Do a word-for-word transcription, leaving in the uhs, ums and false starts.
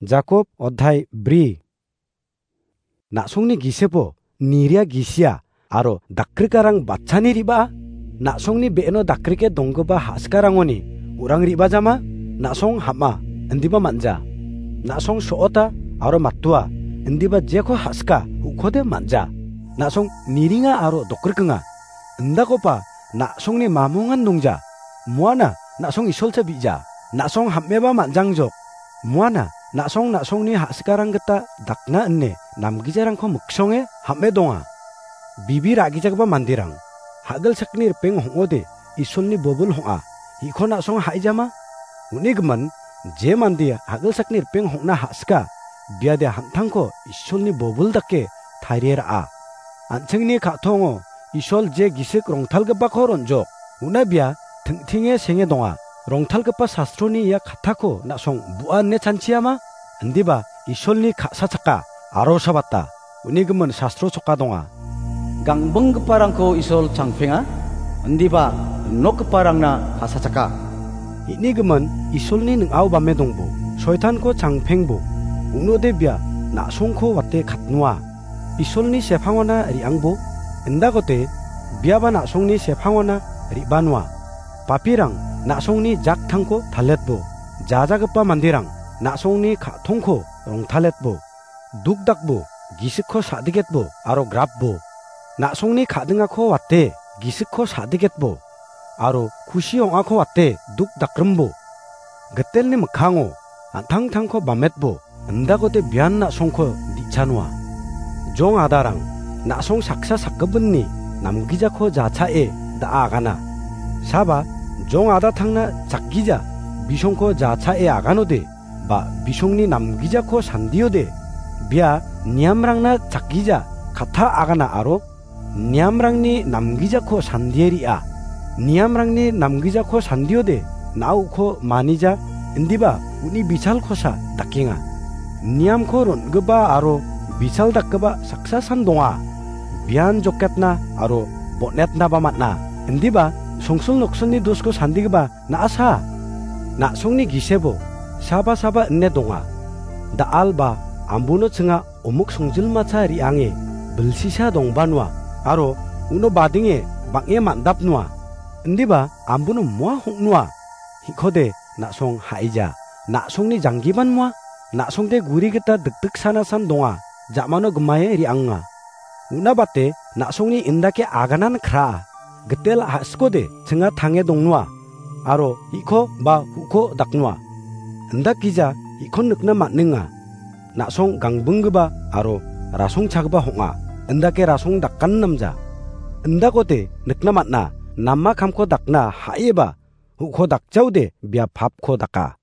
Jakob odhai bri. Na·songni gisepo niria gisia aro dakrikarang batchani riba? Na·songni be·eno dakrike donggipa ha·sikarangoni urang ribajama? Na·song ham·a, indiba man·ja. Na·song so·ota aro matua, indiba jeko ha·sika, ukode man·ja. Na·song niringa aro dokrikenga. Indakoba na·songni mamongan dongja. Muana na·song isolcha bi·ja. Na·song ham·eba man·jangjok. Muana na·song na·songni ha·sikarang gita dakna ine namgijarangko miksonge ham·e donga. Bibi ra·gijagipa manderang, ha·gilsakni ripeng hong·ode, Isolni bobil hong·a, hiko na·song ha·ijama? Uni gimin, je mande ha·gilsakni ripeng hong·na ha·sika, biade han·tangko Isolni bobil dake tarie ra·a. An·chingni ka·tongo Isol je gisik rongtalgipako ron·jok, una bia ting·tinge senge donga. Rongtalgipa sastroni ia kattako na·song bu·a ine chanchiama? Indiba Isolni ka·sachaka aro sabata. Uni gimin sastro choka donga. Gangbinggiparangko Isol changpenga, indiba nokgiparangna ka·sachaka. Ini gimin Isolni ning·ao bame dongbo, soitanko changpengbo, un·ode bia na·songko wate katnoa. Isolni sepangona re·angbo, indakote biaba na·songni sepangona re·banoa. Papirang na·songni jaktangko taletbo, jajagipa manderang na·songni ka·tongko rongtaletbo, dukdakbo, gisikko sa·diketbo aro grapbo. Na·songni ka·dingako wate gisikko sa·diketbo aro kusi ong·ako wate dukdakrimbo. Gitelni mikkango an·tangtangko bametbo, indakote bian na·songko di·chanoa. Jong adarang, na·song saksa sakgipinni namgijako jachae da·a agana. Saba, jong adatangna chakgija bisongko jachae aganode, ba bisongni namgijako sandiode, bia niamrangna chakgija katta agana aro niamrangni namgijako sandie ri·a. Niamrangni namgijako sandiode, na·uko manija, indiba uni bisalkosa dakenga. Niamko ron·gipa aro bisal dakgipa saksa san donga. Bian joketna aro bon·etnaba man·a. Indiba songsil noksilni dosko sandigipa na·asa. Na·songni gisebo saba saba ine donga. Da·al ba ambuno chinga omuk songjilmacha re·ange bilsisa dongbanoa, aro uno badenge bang·e man·dapnoa. Indiba ambuno moa hong·noa. Hikode na·song ha·ija. Na·songni janggiban moa. Na·songde guri gita dikdiksanasan donga. Ja·mano gimae re·anga. Una bate na·songni indake aganan kraa. Gitel ha·sikode chinga tange dongnoa. Aro hiko ba huko daknoa. Indak gija hikon nikna man·enga. Na·song gangbinggipa aro rasongchagipa hong·a. Indake rasong dakan namja. Indakote nikna man·a, nama kamko dakna ha·eba, huko dakjaode bia papko daka.